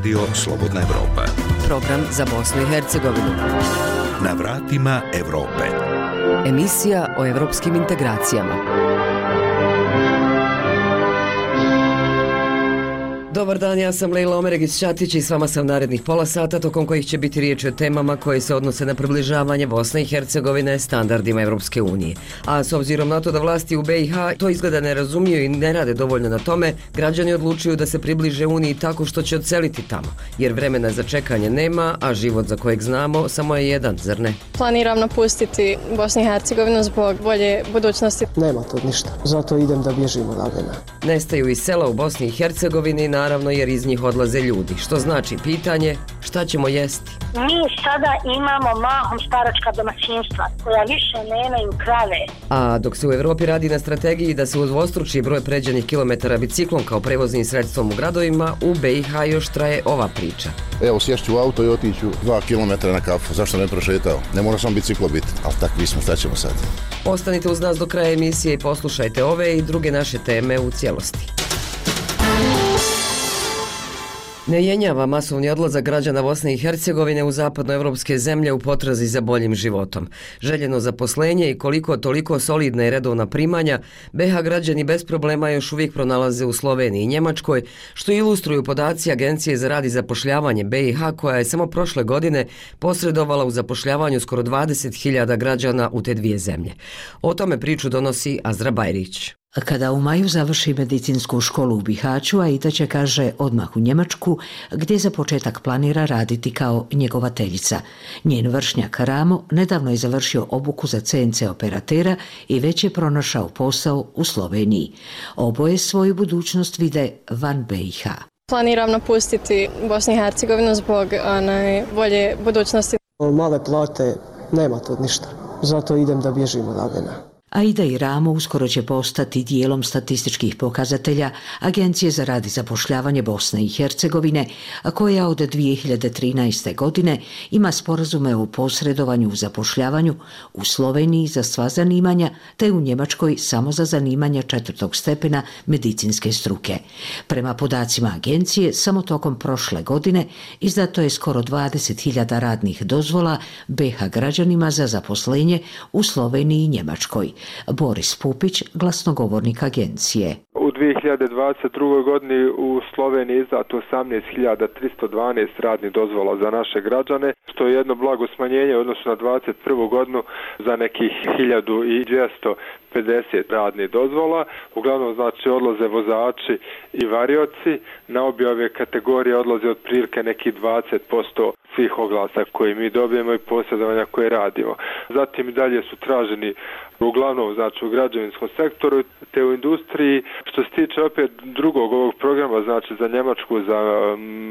Radio Slobodna Evropa. Program za Bosnu i Hercegovinu. Na vratima Evrope. Emisija o evropskim integracijama. Dobar dan, ja sam Lejla Omeregić-Ćatić i s vama sam narednih pola sata, tokom kojih će biti riječ o temama koje se odnose na približavanje Bosne i Hercegovine standardima Evropske unije. A s obzirom na to da vlasti u BiH to izgleda ne razumiju i ne rade dovoljno na tome, građani odlučuju da se približe Uniji tako što će odseliti tamo, jer vremena za čekanje nema, a život za kojeg znamo samo je jedan, zar ne? Planiram napustiti Bosnu i Hercegovinu zbog bolje budućnosti. Nema to ništa, zato idem da bježim odavde. Nestaju iz sela u Bosni i Hercegovini, naravno jer iz njih odlaze ljudi, što znači pitanje šta ćemo jesti. Mi sada imamo mahom staračka domaćinstva koja više nemaju krave. A dok se u Evropi radi na strategiji da se udvostruči broj pređenih kilometara biciklom kao prevoznim sredstvom u gradovima, u BiH još traje ova priča. Evo, sješću u auto i otiću 2 km na kafu, zašto ne prošetao? Ne mora sam biciklo biti, ali takvi smo, šta ćemo sad? Ostanite uz nas do kraja emisije i poslušajte ove i druge naše teme u cijelosti. Ne jenjava masovni odlazak građana Bosne i Hercegovine u zapadnoevropske zemlje u potrazi za boljim životom. Željeno zaposlenje i koliko toliko solidna i redovna primanja, BiH građani bez problema još uvijek pronalaze u Sloveniji i Njemačkoj, što ilustruju podaci Agencije za rad i zapošljavanje BiH, koja je samo prošle godine posredovala u zapošljavanju skoro 20.000 građana u te dvije zemlje. O tome priču donosi Azra Bajrić. Kada u maju završi medicinsku školu u Bihaću, Aida će, kaže, odmah u Njemačku, gdje za početak planira raditi kao njegovateljica. Njen vršnjak Ramo nedavno je završio obuku za CNC operatera i već je pronašao posao u Sloveniji. Oboje svoju budućnost vide van BiH. Planiram napustiti Bosnu i Hercegovinu zbog bolje budućnosti. Male plate, nema to ništa, zato idem da bježim odavde. Aida i Ramo uskoro će postati dijelom statističkih pokazatelja Agencije za rad i zapošljavanje Bosne i Hercegovine, koja od 2013. godine ima sporazume o posredovanju u zapošljavanju u Sloveniji za sva zanimanja, te u Njemačkoj samo za zanimanja 4. stepena medicinske struke. Prema podacima agencije, samo tokom prošle godine izdato je skoro 20.000 radnih dozvola BiH građanima za zaposlenje u Sloveniji i Njemačkoj. Boris Pupić, glasnogovornik agencije. U 2022. godini u Sloveniji izdato 18.312 radnih dozvola za naše građane, što je jedno blago smanjenje u odnosu na 2021. godinu za nekih 1250 radnih dozvola. Uglavnom znači odlaze vozači i varioci, na obje ove kategorije odlaze otprilike nekih 20% svih oglasa koje mi dobijemo i posredovanja koje radimo. Zatim i dalje su traženi uglavnom znači u građevinskom sektoru te u industriji. Što se tiče opet drugog ovog programa, znači za Njemačku, za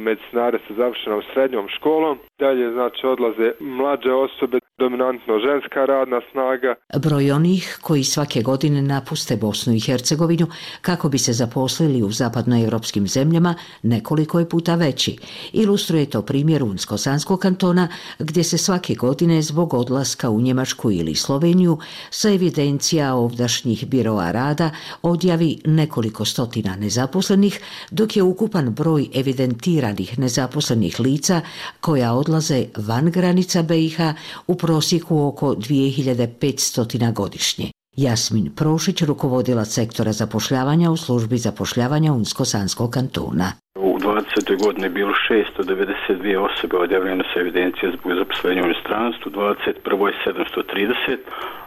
medicinare sa završenom srednjom školom, dalje znači odlaze mlađe osobe, dominantno ženska radna snaga. Broj onih koji svake godine napuste Bosnu i Hercegovinu kako bi se zaposlili u zapadnoevropskim zemljama nekoliko je puta veći. Ilustruje to primjer Unsko-Sanskog kantona, gdje se svake godine zbog odlaska u Njemačku ili Sloveniju sa evidencija ovdašnjih biroa rada odjavi nekoliko stotina nezaposlenih, dok je ukupan broj evidentiranih nezaposlenih lica koja odlaze van granica BiH u prosjeku oko 2500 godišnje. Jasmin Prošić, rukovodilac sektora zapošljavanja u službi zapošljavanja Unsko-Sanskog kantona. U 20. godini je bilo 692 osobe odjavljene sa evidencije zbog zaposlenja u inostranstvu, 21. je 730,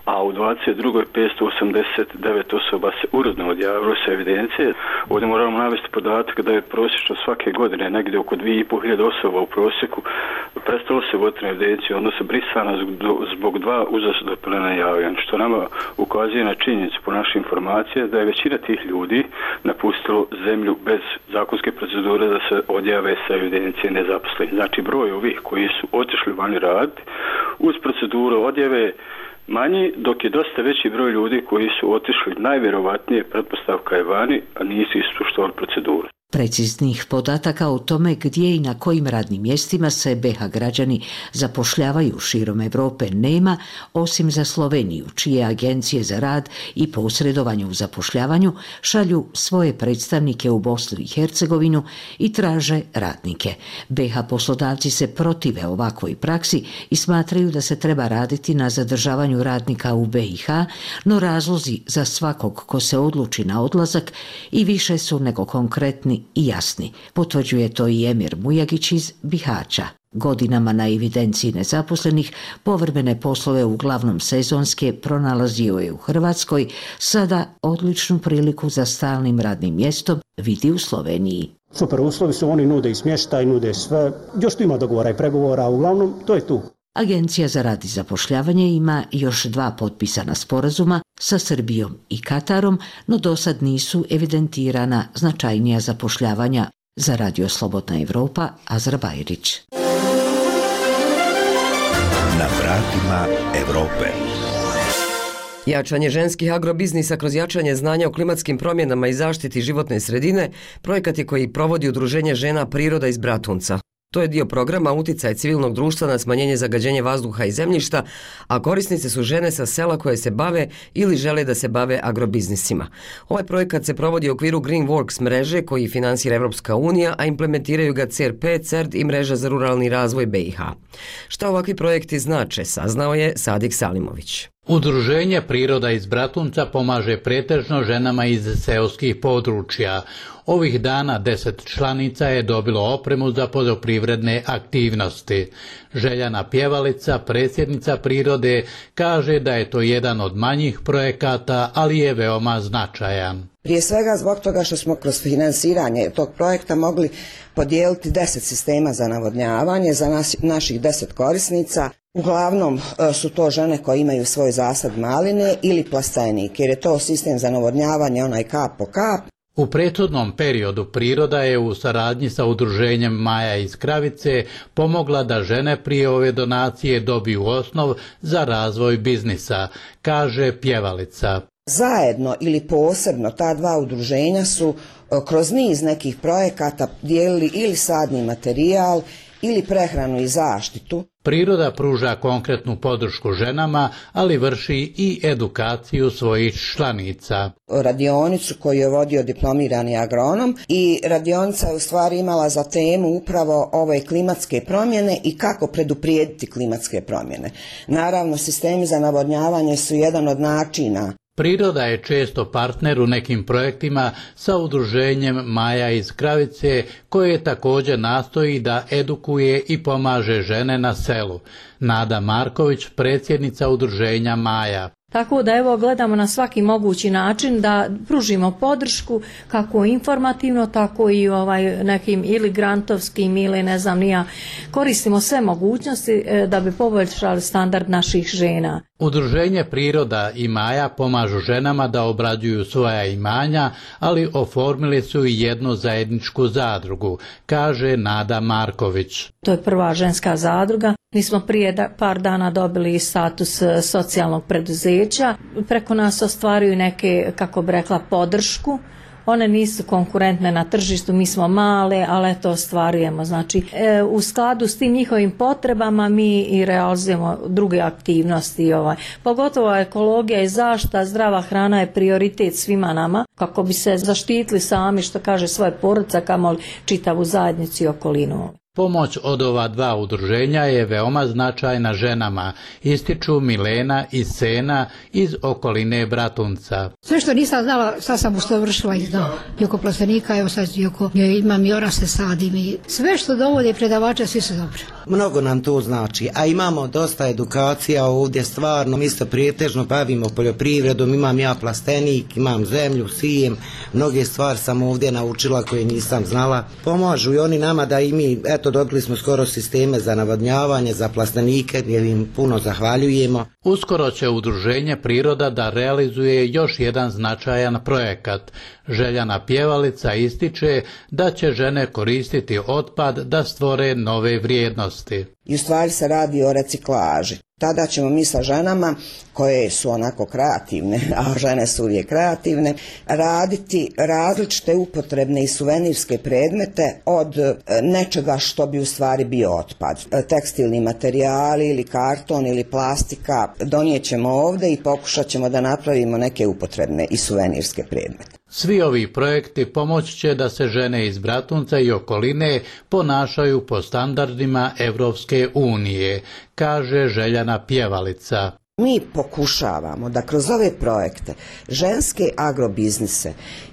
a u 22. 589 osoba se uredno odjavilo sa evidencije. Ovdje moramo navesti podatak da je prosječno svake godine negdje oko 2500 osoba u prosjeku prestalo se voditi na evidenciju, odnosno brisana zbog 2 uzastopna javljanja, što nama ukazuje na činjenicu po našoj informacije da je većina tih ljudi napustilo zemlju bez zakonske procedure da se odjave sa evidencije nezaposlenih. Znači broj ovih koji su otišli vani raditi uz proceduru odjave manji, dok je dosta veći broj ljudi koji su otišli najvjerovatnije, pretpostavka je vani, a nisu ispoštovali proceduru. Preciznih podataka o tome gdje i na kojim radnim mjestima se BiH građani zapošljavaju širom Europe nema, osim za Sloveniju, čije agencije za rad i posredovanje u zapošljavanju šalju svoje predstavnike u Bosnu i Hercegovinu i traže radnike. BiH poslodavci se protive ovakvoj praksi i smatraju da se treba raditi na zadržavanju radnika u BiH, no razlozi za svakog ko se odluči na odlazak i više su nego konkretni i jasni. Potvrđuje to i Emir Mujagić iz Bihaća. Godinama na evidenciji nezaposlenih povremene poslove, uglavnom sezonske, pronalazio je u Hrvatskoj, sada odličnu priliku za stalnim radnim mjestom vidi u Sloveniji. Super uslovi su, oni nude i smještaj, nude sve, još tu ima dogovora i pregovora, uglavnom to je tu. Agencija za rad i zapošljavanje ima još 2 potpisana sporazuma sa Srbijom i Katarom, no dosad nisu evidentirana značajnija zapošljavanja. Za Radio Slobodna Evropa, Azra Bajrić. Na vratima Evrope. Jačanje ženskih agrobiznisa kroz jačanje znanja o klimatskim promjenama i zaštiti životne sredine projekat je koji provodi Udruženje žena Priroda iz Bratunca. To je dio programa Uticaj civilnog društva na smanjenje zagađenja vazduha i zemljišta, a korisnice su žene sa sela koje se bave ili žele da se bave agrobiznisima. Ovaj projekat se provodi u okviru Green Works mreže koji finansira Evropska unija, a implementiraju ga CRP, CERD i mreža za ruralni razvoj BiH. Šta ovakvi projekti znače, saznao je Sadik Salimović. Udruženje Priroda iz Bratunca pomaže pretežno ženama iz seoskih područja. Ovih dana 10 članica je dobilo opremu za poljoprivredne aktivnosti. Željana Pjevalica, predsjednica Prirode, kaže da je to jedan od manjih projekata, ali je veoma značajan. Prije svega zbog toga što smo kroz finansiranje tog projekta mogli podijeliti 10 sistema za navodnjavanje za naših 10 korisnica. Uglavnom su to žene koje imaju svoj zasad maline ili plastenik, jer je to sistem za navodnjavanje onaj kap po kap. U prethodnom periodu Priroda je u saradnji sa udruženjem Maja iz Kravice pomogla da žene prije ove donacije dobiju osnov za razvoj biznisa, kaže Pjevalica. Zajedno ili posebno ta 2 udruženja su kroz niz nekih projekata dijelili ili sadni materijal ili prehranu i zaštitu. Priroda pruža konkretnu podršku ženama, ali vrši i edukaciju svojih članica. Radionicu koju je vodio diplomirani agronom i radionica je u stvari imala za temu upravo ove klimatske promjene i kako preduprijediti klimatske promjene. Naravno, sistemi za navodnjavanje su jedan od načina. Priroda je često partner u nekim projektima sa udruženjem Maja iz Kravice, koje također nastoji da edukuje i pomaže žene na selu. Nada Marković, predsjednica udruženja Maja. Tako da evo gledamo na svaki mogući način da pružimo podršku kako informativno, tako i nekim ili grantovskim ili ne znam nija. Koristimo sve mogućnosti da bi poboljšali standard naših žena. Udruženje Priroda i Maja pomažu ženama da obrađuju svoja imanja, ali oformili su i jednu zajedničku zadrugu, kaže Nada Marković. To je prva ženska zadruga. Mi smo prije par dana dobili status socijalnog preduzeća. Preko nas ostvaruju neke, kako bi rekla, podršku. One nisu konkurentne na tržištu, mi smo male, ali to ostvarujemo. Znači, u skladu s tim njihovim potrebama mi i realizujemo druge aktivnosti. Pogotovo ekologija i zaštita, zdrava hrana je prioritet svima nama, kako bi se zaštitili sami, što kaže, svoje porodice, kamoli čitavu zajednicu i okolinu. Pomoć od ova 2 udruženja je veoma značajna ženama, ističu Milena i Sena iz okoline Bratunca. Sve što nisam znala, sad sam usavršila i znao. I oko plastenika, evo sad imam i orase sadim i sve što dovode predavača, svi su dobri. Mnogo nam to znači, a imamo dosta edukacija ovdje, stvarno, mi se prijetežno bavimo poljoprivredom, imam ja plastenik, imam zemlju, sijem, mnoge stvari sam ovdje naučila koje nisam znala. Pomažu i oni nama da i mi, eto, dobili smo skoro sisteme za navodnjavanje, za plastenike, jer im puno zahvaljujemo. Uskoro će udruženje Priroda da realizuje još jedan značajan projekat. Željana Pjevalica ističe da će žene koristiti otpad da stvore nove vrijednosti. I u stvari se radi o reciklaži. Tada ćemo mi sa ženama koje su onako kreativne, a žene su uvijek kreativne, raditi različite upotrebne i suvenirske predmete od nečega što bi u stvari bio otpad. Tekstilni materijali ili karton ili plastika donijet ćemo ovdje i pokušat ćemo da napravimo neke upotrebne i suvenirske predmete. Svi ovi projekti pomoći će da se žene iz Bratunca i okoline ponašaju po standardima Evropske unije, kaže Željana Pjevalica. Mi pokušavamo da kroz ove projekte ženske agrobiznise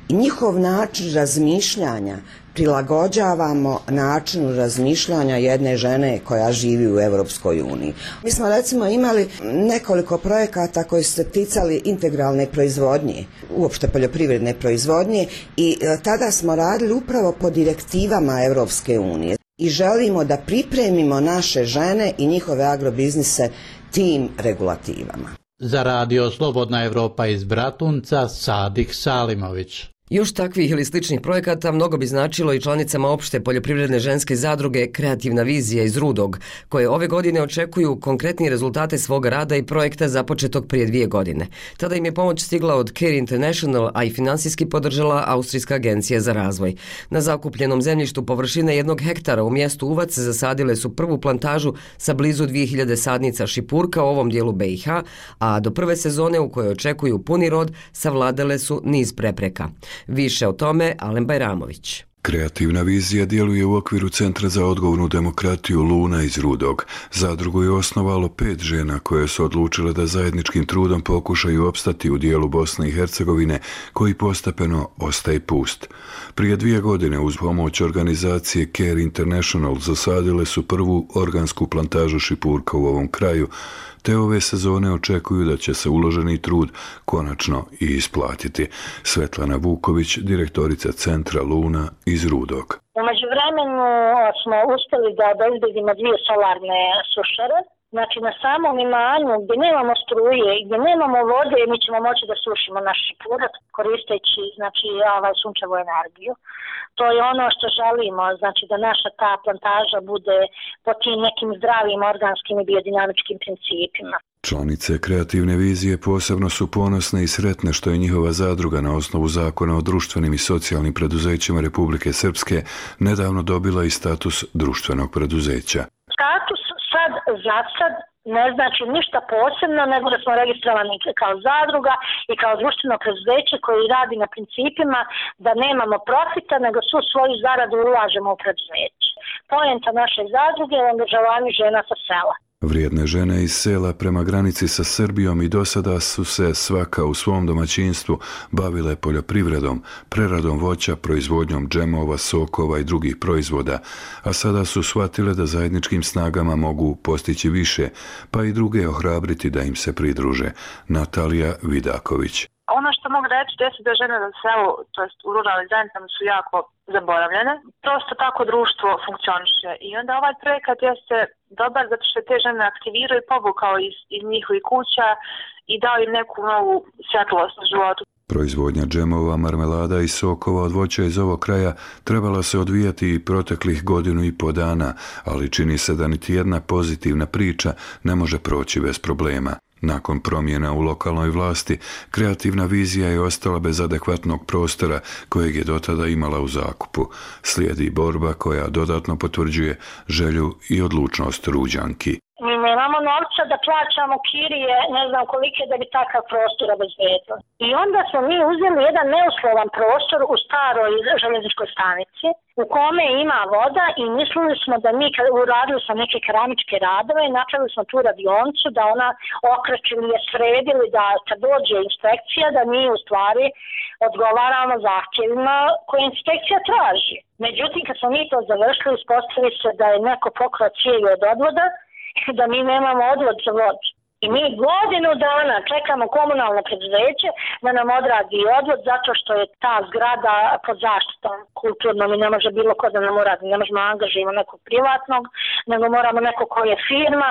i njihov način razmišljanja prilagođavamo načinu razmišljanja jedne žene koja živi u Europskoj uniji. Mi smo recimo imali nekoliko projekata koji su se ticali integralne proizvodnje, uopšte poljoprivredne proizvodnje i tada smo radili upravo po direktivama Europske unije i želimo da pripremimo naše žene i njihove agrobiznise tim regulativama. Za Radio Slobodna Evropa iz Bratunca, Sadik Salimović. Još takvih ili sličnih projekata mnogo bi značilo i članicama opšte poljoprivredne ženske zadruge Kreativna vizija iz Rudog, koje ove godine očekuju konkretni rezultate svoga rada i projekta započetog prije 2 godine. Tada im je pomoć stigla od Care International, a i finansijski podržala Austrijska agencija za razvoj. Na zakupljenom zemljištu površine 1 hektara u mjestu Uvac zasadile su prvu plantažu sa blizu 2000 sadnica šipurka u ovom dijelu BiH, a do prve sezone u kojoj očekuju puni rod savladale su niz prepreka. Više o tome Alen Bajramović. Kreativna vizija djeluje u okviru Centra za odgovornu demokratiju Luna iz Rudog. Zadrugu je osnovalo 5 žena koje su odlučile da zajedničkim trudom pokušaju opstati u dijelu Bosne i Hercegovine koji postepeno ostaje pust. Prije 2 godine uz pomoć organizacije Care International zasadile su prvu organsku plantažu šipurka u ovom kraju, te ove sezone očekuju da će se uloženi trud konačno i isplatiti. Svetlana Vuković, direktorica Centra Luna iz Rudog. U međuvremenu smo uspjeli da obezbedimo 2 solarne sušare. Znači na samom imanju gdje nemamo struje i gdje nemamo vode mi ćemo moći da sušimo naš šipurak koristeći sunčevu energiju. To je ono što želimo, znači da naša ta plantaža bude po tim nekim zdravim organskim i biodinamičkim principima. Članice Kreativne vizije posebno su ponosne i sretne što je njihova zadruga na osnovu zakona o društvenim i socijalnim preduzećima Republike Srpske nedavno dobila i status društvenog preduzeća. Status za sad ne znači ništa posebno, nego da smo registrovani kao zadruga i kao društveno preduzeće koji radi na principima da nemamo profita, nego svu svoju zaradu ulažemo u preduzeće. Poenta naše zadruge je angažovanje žena sa sela. Vrijedne žene iz sela prema granici sa Srbijom i dosada su se svaka u svom domaćinstvu bavile poljoprivredom, preradom voća, proizvodnjom džemova, sokova i drugih proizvoda, a sada su shvatile da zajedničkim snagama mogu postići više, pa i druge ohrabriti da im se pridruže. Natalija Vidaković. Ono što mogu reći jeste da žene na selu, to jest u ruralnim zajednicama su jako zaboravljene. Prosto tako društvo funkcioniše i onda ovaj projekat jeste dobar zato što te žene aktiviraju i povukao iz njihovih kuća i dao im neku novu svjetlost u životu. Proizvodnja džemova, marmelada i sokova od voća iz ovog kraja trebala se odvijati i proteklih 1,5 godina, ali čini se da niti jedna pozitivna priča ne može proći bez problema. Nakon promjena u lokalnoj vlasti, Kreativna vizija je ostala bez adekvatnog prostora kojeg je dotada imala u zakupu. Slijedi borba koja dodatno potvrđuje želju i odlučnost Ruđanki. Mi nemamo novca da plaćamo kirije, ne znam kolike da bi takav prostor obezbedili. I onda smo mi uzeli jedan neuslovan prostor u staroj željezničkoj stanici u kome ima voda i mislili smo da mi kad uradili smo neke keramičke radove i napravili smo tu radioncu da ona okrećili je sredili da kad dođe inspekcija da mi u stvari odgovaramo zahtjevima koje inspekcija traži. Međutim kad smo mi to završili ispostavili se da je neko pokrao cijevi od odvoda da mi nemamo odvod za vodu. I mi 1 dana čekamo komunalno preduzeće da nam odradi odvod zato što je ta zgrada pod zaštitom kulturnom i ne može bilo ko da nam uradi. Ne možemo angažirati nekog privatnog, nego moramo neko ko je firma,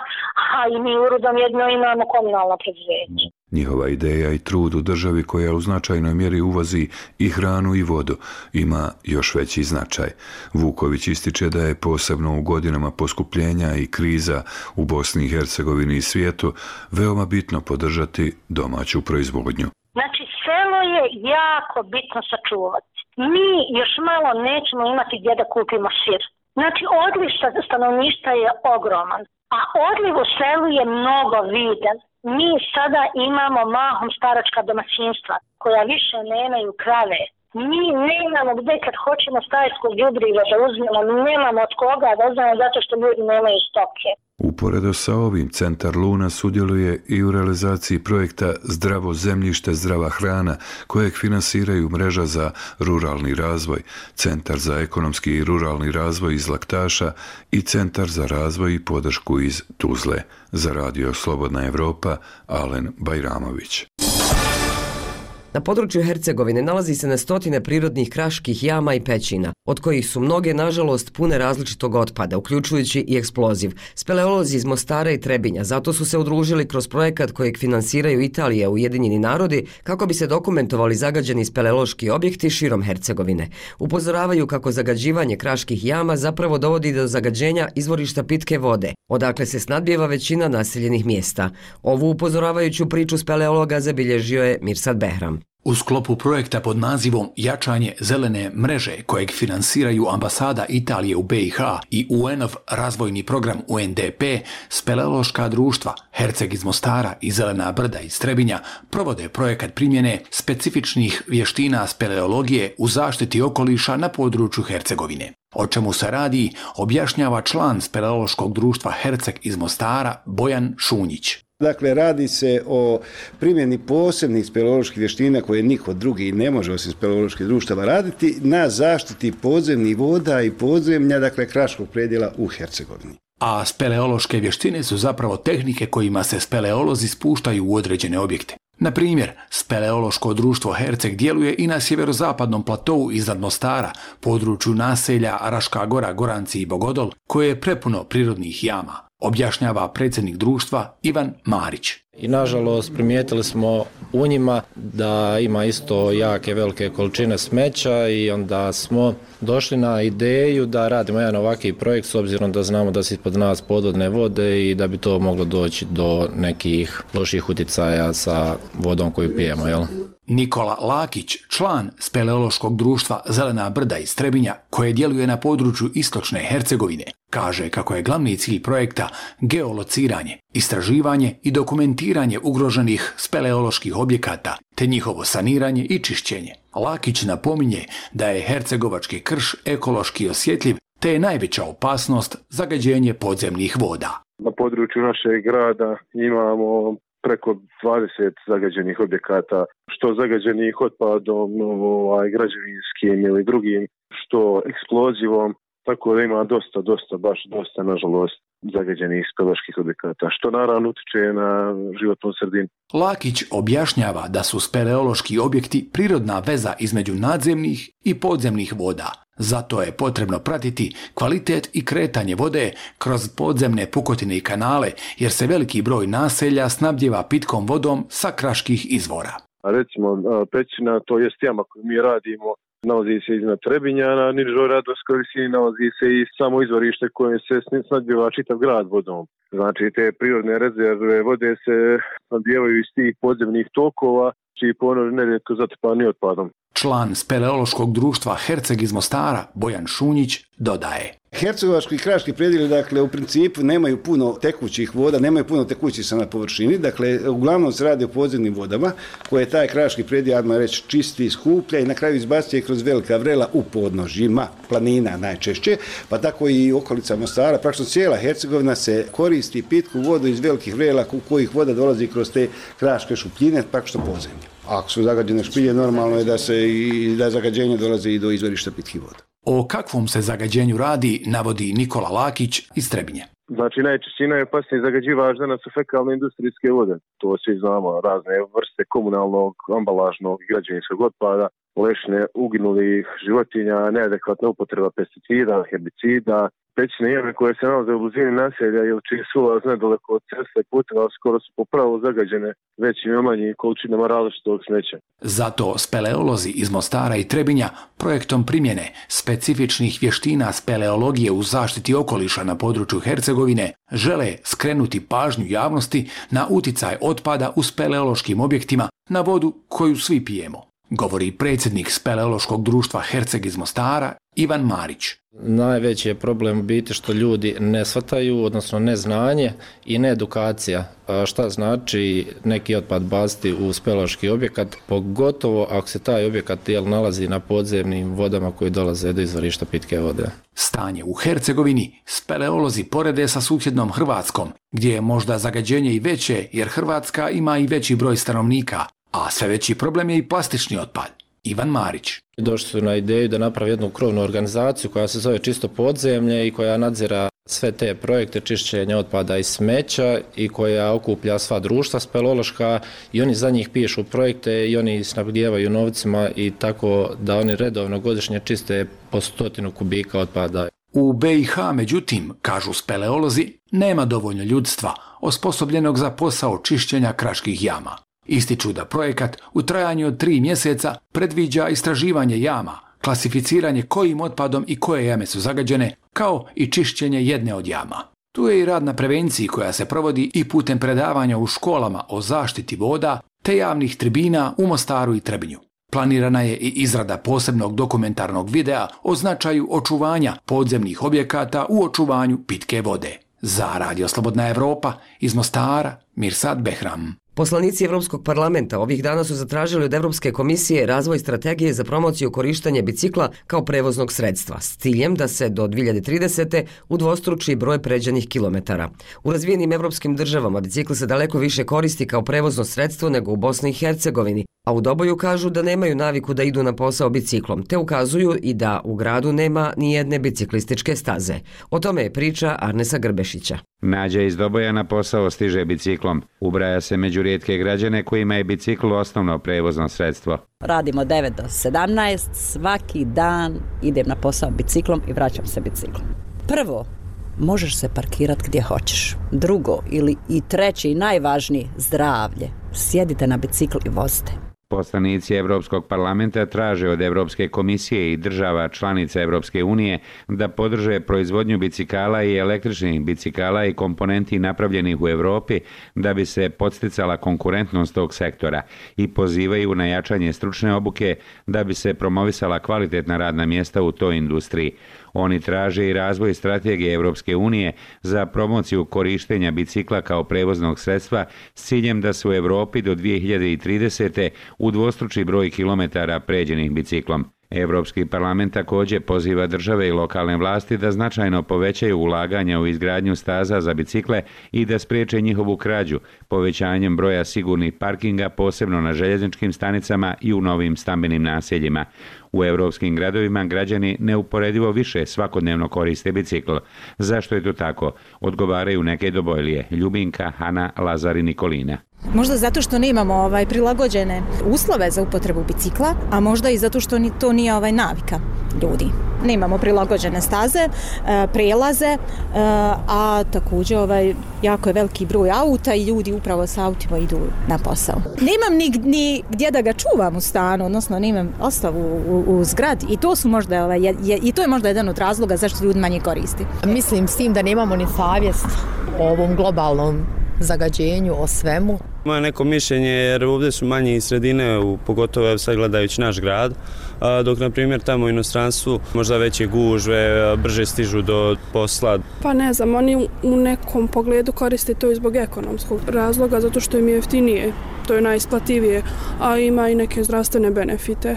a i mi u Rudom jedno imamo komunalno preduzeće. Njihova ideja i trud u državi koja u značajnoj mjeri uvozi i hranu i vodu ima još veći značaj. Vuković ističe da je posebno u godinama poskupljenja i kriza u Bosni i Hercegovini i svijetu veoma bitno podržati domaću proizvodnju. Znači, selo je jako bitno sačuvati. Mi još malo nećemo imati gdje da kupimo sir. Znači, odliv stanovništva je ogroman, a odliv u selu je mnogo viden. Mi sada imamo mahom staračka domaćinstva koja više nemaju krave. Mi nemamo gdje kad hoćemo stajsko đubrivo da uzmemo, nemamo od koga da uzmemo zato što ljudi nemaju stoke. Uporedo sa ovim, Centar Luna sudjeluje i u realizaciji projekta Zdravo zemljište, zdrava hrana, kojeg finansiraju Mreža za ruralni razvoj, Centar za ekonomski i ruralni razvoj iz Laktaša i Centar za razvoj i podršku iz Tuzle. Za Radio Slobodna Evropa, Alen Bajramović. Na području Hercegovine nalazi se na stotine prirodnih kraških jama i pećina, od kojih su mnoge, nažalost, pune različitog otpada, uključujući i eksploziv. Speleolozi iz Mostara i Trebinja zato su se udružili kroz projekat kojeg finansiraju Italija i Ujedinjeni narodi kako bi se dokumentovali zagađeni speleološki objekti širom Hercegovine. Upozoravaju kako zagađivanje kraških jama zapravo dovodi do zagađenja izvorišta pitke vode, odakle se snadbijeva većina naseljenih mjesta. Ovu upozoravajuću priču speleologa zabilježio je Mirsad Behram. U sklopu projekta pod nazivom Jačanje zelene mreže kojeg finansiraju ambasada Italije u BiH i UN-ov razvojni program UNDP, speleološka društva Herceg iz Mostara i Zelena brda iz Trebinja provode projekat primjene specifičnih vještina speleologije u zaštiti okoliša na području Hercegovine. O čemu se radi, objašnjava član speleološkog društva Herceg iz Mostara Bojan Šunjić. Dakle, radi se o primjeni posebnih speleoloških vještina koje niko drugi ne može osim speleoloških društava raditi na zaštiti podzemnih voda i podzemlja, dakle kraškog predjela u Hercegovini. A speleološke vještine su zapravo tehnike kojima se speleolozi spuštaju u određene objekte. Na primjer, speleološko društvo Herceg djeluje i na sjeverozapadnom platou iznad Mostara, području naselja Raška Gora, Goranci i Bogodol, koje je prepuno prirodnih jama, objašnjava predsjednik društva Ivan Marić. I nažalost primijetili smo u njima da ima isto jake velike količine smeća i onda smo došli na ideju da radimo jedan ovakvi projekt s obzirom da znamo da se ispod nas podvodne vode i da bi to moglo doći do nekih loših utjecaja sa vodom koju pijemo, jel? Nikola Lakić, član speleološkog društva Zelena brda iz Trebinja, koje djeluje na području istočne Hercegovine, kaže kako je glavni cilj projekta geolociranje, istraživanje i dokumentiranje ugroženih speleoloških objekata, te njihovo saniranje i čišćenje. Lakić napominje da je hercegovački krš ekološki osjetljiv, te je najveća opasnost zagađenje podzemnih voda. Na području našeg grada imamo preko 20 zagađenih objekata, što zagađenih otpadom, građevinskim ili drugim, što eksplozivom, tako da ima dosta, nažalost, zagađenih speleoloških objekata, što naravno utiče na životnu sredinu. Lakić objašnjava da su speleološki objekti prirodna veza između nadzemnih i podzemnih voda. Zato je potrebno pratiti kvalitet i kretanje vode kroz podzemne pukotine i kanale, jer se veliki broj naselja snabdijeva pitkom vodom sa kraških izvora. Recimo, pećina, to jest jama koju mi radimo, nalazi se iznad Trebinja, na nižoj radovskoj visini nalazi se i samo izvorište koje se snabdijeva čitav grad vodom. Znači, te prirodne rezerve vode se snabdijevaju iz tih podzemnih tokova, čiji ponor nerijetko zatrpani otpadom. Član speleološkog društva Herceg iz Mostara, Bojan Šunjić, dodaje. Hercegovački i kraški predjeli, dakle, u principu nemaju puno tekućih voda, nemaju puno tekućih na površini, dakle, uglavnom se radi o podzemnim vodama, koje taj kraški predjel, admah reći, čisti, skuplja i na kraju izbacuje kroz velika vrela u podnožjima, planina najčešće, pa tako i okolica Mostara, praktično cijela Hercegovina se koristi pitku vodu iz velikih vrela u kojih voda dolazi kroz te kraške šupljine, praktično podzemlje. Ako su zagađene špilje, normalno je da zagađenje dolazi i do izvorišta pitkih voda. O kakvom se zagađenju radi, navodi Nikola Lakić iz Trebinja. Znači, najčešće najopasniji zagađivač danas su fekalne industrijske vode. To svi znamo, razne vrste komunalnog, ambalažnog i građevinskog otpada. lešine uginulih životinja, neadekvatna upotreba pesticida, herbicida, pećine jame koje se nalaze u blizini naselja ili čiji su ulaz nedaleko od ceste i puteva skoro su popravo zagađene većim i manjim količinama različitog smeća. Zato speleolozi iz Mostara i Trebinja projektom primjene specifičnih vještina speleologije u zaštiti okoliša na području Hercegovine žele skrenuti pažnju javnosti na uticaj otpada u speleološkim objektima na vodu koju svi pijemo, govori predsjednik Speleološkog društva Herceg iz Mostara Ivan Marić. Najveći je problem u biti što ljudi ne shvataju, odnosno neznanje i needukacija. Šta znači neki otpad baciti u speleološki objekat, pogotovo ako se taj objekat nalazi na podzemnim vodama koji dolaze do izvorišta pitke vode. Stanje u Hercegovini speleolozi porede sa susjednom Hrvatskom, gdje je možda zagađenje i veće jer Hrvatska ima i veći broj stanovnika, a sve veći problem je i plastični otpad. Ivan Marić. Došli su na ideju da napravi jednu krovnu organizaciju koja se zove Čisto podzemlje i koja nadzira sve te projekte čišćenja otpada i smeća i koja okuplja sva društva speleološka i oni za njih pišu projekte i oni snabdijevaju novcima i tako da oni redovno godišnje čiste po 100 kubika otpada. U BiH, međutim, kažu speleolozi, nema dovoljno ljudstva osposobljenog za posao čišćenja kraških jama. Ističu da projekat u trajanju od 3 mjeseca predviđa istraživanje jama, klasificiranje kojim otpadom i koje jame su zagađene, kao i čišćenje jedne od jama. Tu je i rad na prevenciji koja se provodi i putem predavanja u školama o zaštiti voda te javnih tribina u Mostaru i Trebinju. Planirana je i izrada posebnog dokumentarnog videa o značaju očuvanja podzemnih objekata u očuvanju pitke vode. Za Radio Slobodna Evropa iz Mostara, Mirsad Behram. Poslanici Evropskog parlamenta ovih dana su zatražili od Evropske komisije razvoj strategije za promociju korištenja bicikla kao prevoznog sredstva s ciljem da se do 2030. udvostruči broj pređenih kilometara. U razvijenim evropskim državama bicikl se daleko više koristi kao prevozno sredstvo nego u Bosni i Hercegovini, a u Doboju kažu da nemaju naviku da idu na posao biciklom, te ukazuju i da u gradu nema ni jedne biciklističke staze. O tome je priča Arnesa Grbešića. Nađa iz Doboja na posao stiže biciklom. Ubraja se među rijetke građane kojima je bicikl osnovno prevozno sredstvo. Radimo 9 do 17, svaki dan idem na posao biciklom i vraćam se biciklom. Prvo, možeš se parkirati gdje hoćeš. Drugo, ili i treće i najvažnije, zdravlje. Sjedite na bicikl i vozite. Poslanici Evropskog parlamenta traže od Evropske komisije i država članica Evropske unije da podrže proizvodnju bicikala i električnih bicikala i komponenti napravljenih u Europi da bi se podsticala konkurentnost tog sektora i pozivaju na jačanje stručne obuke da bi se promovisala kvalitetna radna mjesta u toj industriji. Oni traže i razvoj strategije Evropske unije za promociju korištenja bicikla kao prevoznog sredstva s ciljem da se u Europi do 2030. udvostruči broj kilometara pređenih biciklom. Evropski parlament također poziva države i lokalne vlasti da značajno povećaju ulaganja u izgradnju staza za bicikle i da spriječe njihovu krađu, povećanjem broja sigurnih parkinga posebno na željezničkim stanicama i u novim stambenim naseljima. U evropskim gradovima građani neuporedivo više svakodnevno koriste bicikl. Zašto je to tako? Odgovaraju neke Dobojlije, Ljubinka, Hana, Lazar i Nikolina. Možda zato što nemamo prilagođene uslove za upotrebu bicikla, a možda i zato što to nije navika ljudi. Nemamo prilagođene staze, prelaze, a također jako je veliki broj auta i ljudi upravo sa autima idu na posao. Nemam ni gdje da ga čuvam u stanu, odnosno nemam ostavu u zgradi i to su možda i to je možda jedan od razloga zašto ljudi manje koristi. Mislim s tim da nemamo ni savjest o ovom globalnom zagađenju, o svemu. Moje neko mišljenje jer ovdje su manje sredine, pogotovo sad gledajući naš grad, dok na primjer tamo u inostranstvu možda veće gužve, brže stižu do posla. Pa ne znam, oni u nekom pogledu koriste to i zbog ekonomskog razloga, zato što im je jeftinije, to je najisplativije, a ima i neke zdravstvene benefite.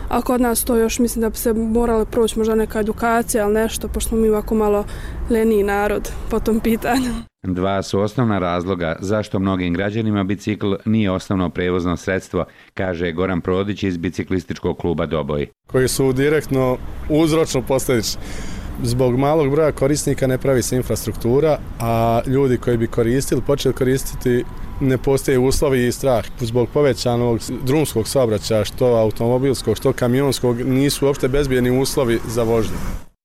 A kod nas to još mislim da bi se morala proći možda neka edukacija, ali nešto, pošto smo mi ovako malo leniji narod po tom pitanju. Dva su osnovna razloga zašto mnogim građanima bicikl nije osnovno prevozno sredstvo, kaže Goran Prodić iz biciklističkog kluba Doboj. Koji su direktno uzročno posljedični. Zbog malog broja korisnika ne pravi se infrastruktura, a ljudi koji bi počeli koristiti ne postoje uslovi i strah. Zbog povećanog drumskog saobraćaja, što automobilskog, što kamionskog, nisu uopšte bezbjedni uslovi za vožnju.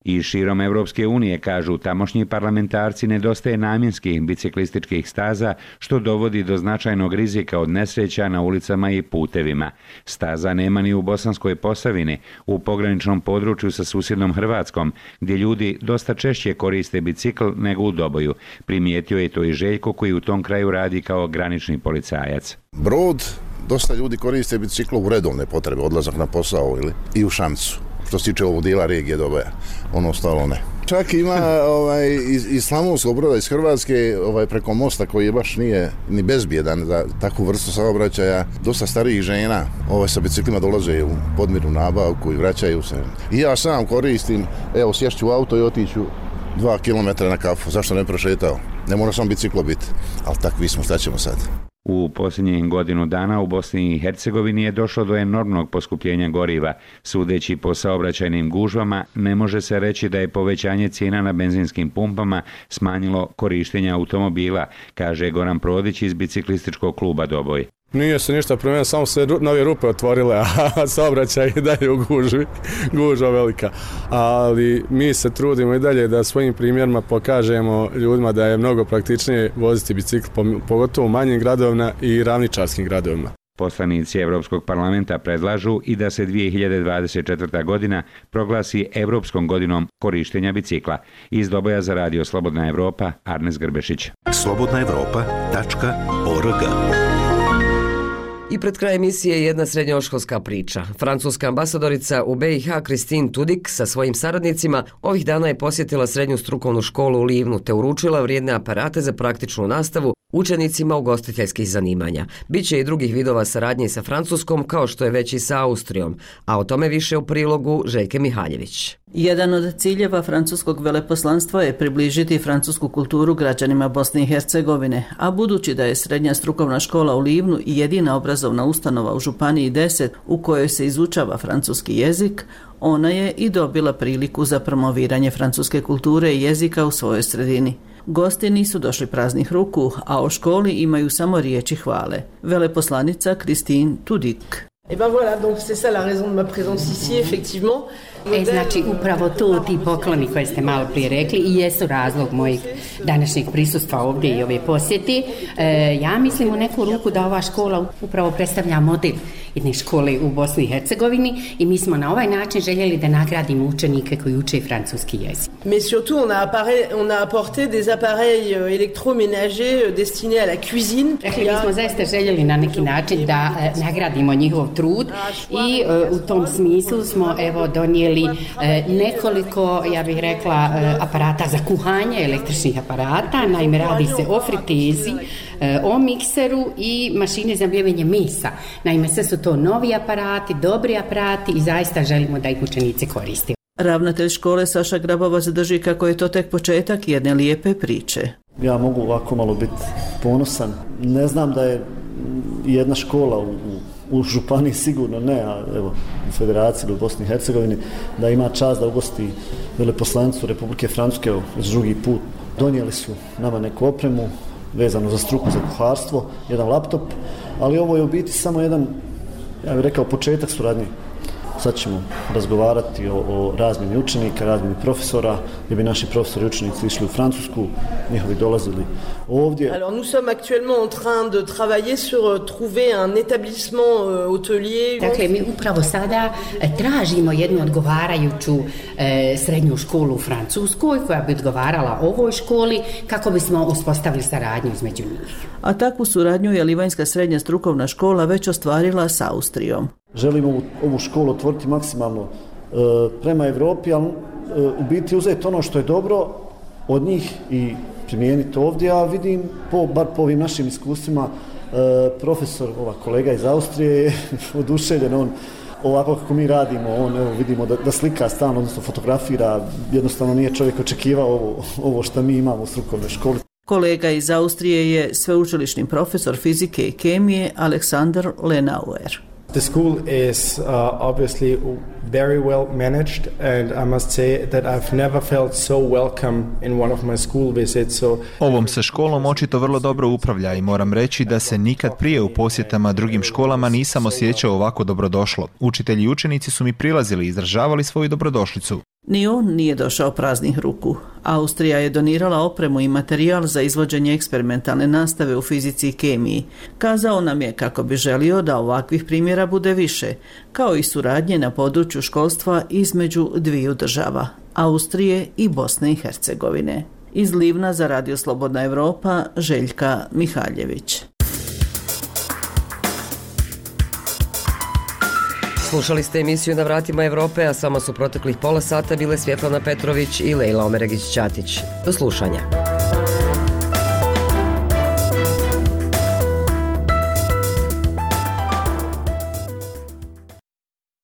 I širom Evropske unije, kažu tamošnji parlamentarci, nedostaje namjenskih biciklističkih staza, što dovodi do značajnog rizika od nesreća na ulicama i putevima. Staza nema ni u Bosanskoj Posavini, u pograničnom području sa susjednom Hrvatskom, gdje ljudi dosta češće koriste bicikl nego u Doboju. Primijetio je to i Željko, koji u tom kraju radi kao granični policajac. Brod, dosta ljudi koriste bicikl u redovne potrebe, odlazak na posao i u Šamcu. Što se tiče ovog dijela regije Doboja, ono ostalo ne. Čak ima iz Slavonskog Broda, iz Hrvatske, preko mosta koji je baš nije ni bezbjedan za takvu vrstu saobraćaja, dosta starijih žena sa biciklima dolaze u podmirnu nabavku i vraćaju se. I ja sam koristim, evo sješću u auto i otiću 2 km na kafu, zašto ne prošetao? Ne mora samo biciklo biti, ali takvi smo, šta ćemo sad? U posljednjih godinu dana u Bosni i Hercegovini je došlo do enormnog poskupljenja goriva. Sudeći po saobraćajnim gužvama, ne može se reći da je povećanje cijena na benzinskim pumpama smanjilo korištenje automobila, kaže Goran Prodić iz biciklističkog kluba Doboj. Nije se ništa promijenilo, samo se nove rupe otvorile, a saobraćaj je dalje u gužvi, gužva velika. Ali mi se trudimo i dalje da svojim primjerima pokažemo ljudima da je mnogo praktičnije voziti bicikl, pogotovo u manjim gradovima i ravničarskim gradovima. Poslanici Evropskog parlamenta predlažu i da se 2024. godina proglasi Evropskom godinom korištenja bicikla. Iz Doboja za radio Slobodna Evropa, Arnes Grbešić. slobodnaevropa.org. I pred kraj emisije jedna srednjoškolska priča. Francuska ambasadorica u BiH Christine Tudik sa svojim saradnicima ovih dana je posjetila srednju strukovnu školu u Livnu te uručila vrijedne aparate za praktičnu nastavu učenicima ugostiteljskih zanimanja. Biće i drugih vidova saradnje sa Francuskom, kao što je već i sa Austrijom, a o tome više u prilogu Željke Mihaljević. Jedan od ciljeva francuskog veleposlanstva je približiti francusku kulturu građanima Bosne i Hercegovine, a budući da je srednja strukovna škola u Livnu i jedina obrazovna ustanova u Županiji 10 u kojoj se izučava francuski jezik, ona je i dobila priliku za promoviranje francuske kulture i jezika u svojoj sredini. Gosti nisu došli praznih ruku, a o školi imaju samo riječi hvale. Veleposlanica Christine Tudik. Et ben voilà, donc c'est ça la raison de ma présence ici, effectivement. Znači, upravo to ti pokloni koje ste malo prije rekli i jesu razlog mojeg današnjeg prisustva ovdje i ove posjeti. Ja mislim u neku ruku da ova škola upravo predstavlja model jedne škole u Bosni i Hercegovini i mi smo na ovaj način željeli da nagradimo učenike koji uče francuski jezik. Mais surtout on a apporté des appareils électroménagers destinés à la cuisine. Rekli bismo zaista željeli na neki način da nagradimo njihov trud i u tom smislu smo donijeli nekoliko, ja bih rekla, aparata za kuhanje, električnih aparata. Naime, radi se o fritezi, o mikseru i mašini za mljevenje mesa. Naime, sve su to novi aparati, dobri aparati i zaista želimo da ih učenici koriste. Ravnatelj škole Saša Grabovac drži kako je to tek početak jedne lijepe priče. Ja mogu ovako malo biti ponosan. Ne znam da je jedna škola u županiji sigurno ne, a evo u Federaciji u Bosni i Hercegovini da ima čast da ugosti veleposlanicu Republike Francuske za drugi put. Donijeli su nama neku opremu vezanu za struku za kuharstvo, jedan laptop, ali ovo je u biti samo jedan, ja bih rekao, početak suradnje. Sad ćemo razgovarati o razmjeni učenika, razmjeni profesora, gdje bi naši profesori i učenici išli u Francusku, njihovi dolazili ovdje. Alors nous sommes actuellement en train de travailler sur trouver un établissement hôtelier. Dakle, mi upravo sada tražimo jednu odgovarajuću srednju školu u Francuskoj koja bi odgovarala ovoj školi kako bismo uspostavili saradnju između njih. A takvu suradnju je Livanjska srednja strukovna škola već ostvarila s Austrijom. Želimo ovu školu otvoriti maksimalno prema Evropi, ali u biti uzeti ono što je dobro od njih i primijeniti ovdje, a vidim, bar po ovim našim iskustvima, profesor, kolega iz Austrije je oduševljen, on ovako kako mi radimo, on vidimo da slika stalno, odnosno fotografira, jednostavno nije čovjek očekivao ovo što mi imamo u strukovnoj školi. Kolega iz Austrije je sveučilišni profesor fizike i kemije Aleksandar Lenauer. The school is obviously very well managed, and I must say that I've never felt so welcome in one of my school visits. Ovom se školom očito vrlo dobro upravlja i moram reći da se nikad prije u posjetama drugim školama nisam osjećao ovako dobrodošlo. Učitelji i učenici su mi prilazili i izražavali svoju dobrodošlicu. Ni on nije došao praznih ruku. Austrija je donirala opremu i materijal za izvođenje eksperimentalne nastave u fizici i kemiji. Kazao nam je kako bi želio da ovakvih primjera bude više, kao i suradnje na području školstva između dviju država, Austrije i Bosne i Hercegovine. Iz Livna za Radio Slobodna Evropa, Željka Mihaljević. Slušali ste emisiju Na vratima Evrope, a samo su proteklih pola sata bile Svjetlana Petrović i Lejla Omeregić-Ćatić. Do slušanja.